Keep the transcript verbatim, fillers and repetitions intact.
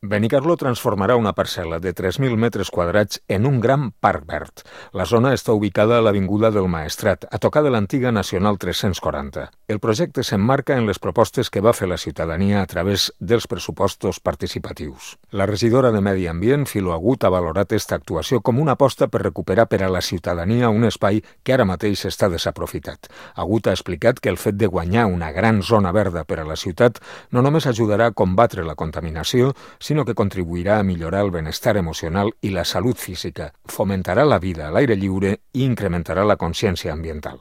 Benicarló transformarà una parcel·la de tres mil metres quadrats en un gran parc verd. La zona està ubicada a l'Avinguda del Maestrat, a tocar de l'antiga Nacional tres-cents quaranta. El projecte s'emmarca en les propostes que va fer la ciutadania a través dels pressupostos participatius. La regidora de Medi Ambient, Filo Agut, ha valorat esta actuació com una aposta per recuperar per a la ciutadania un espai que ara mateix està desaprofitat. Agut ha explicat que el fet de guanyar una gran zona verda per a la ciutat no només ajudarà a combatre la contaminació, sinó que contribuirà a millorar el benestar emocional i la salut física, fomentarà la vida a l'aire lliure i incrementarà la consciència ambiental.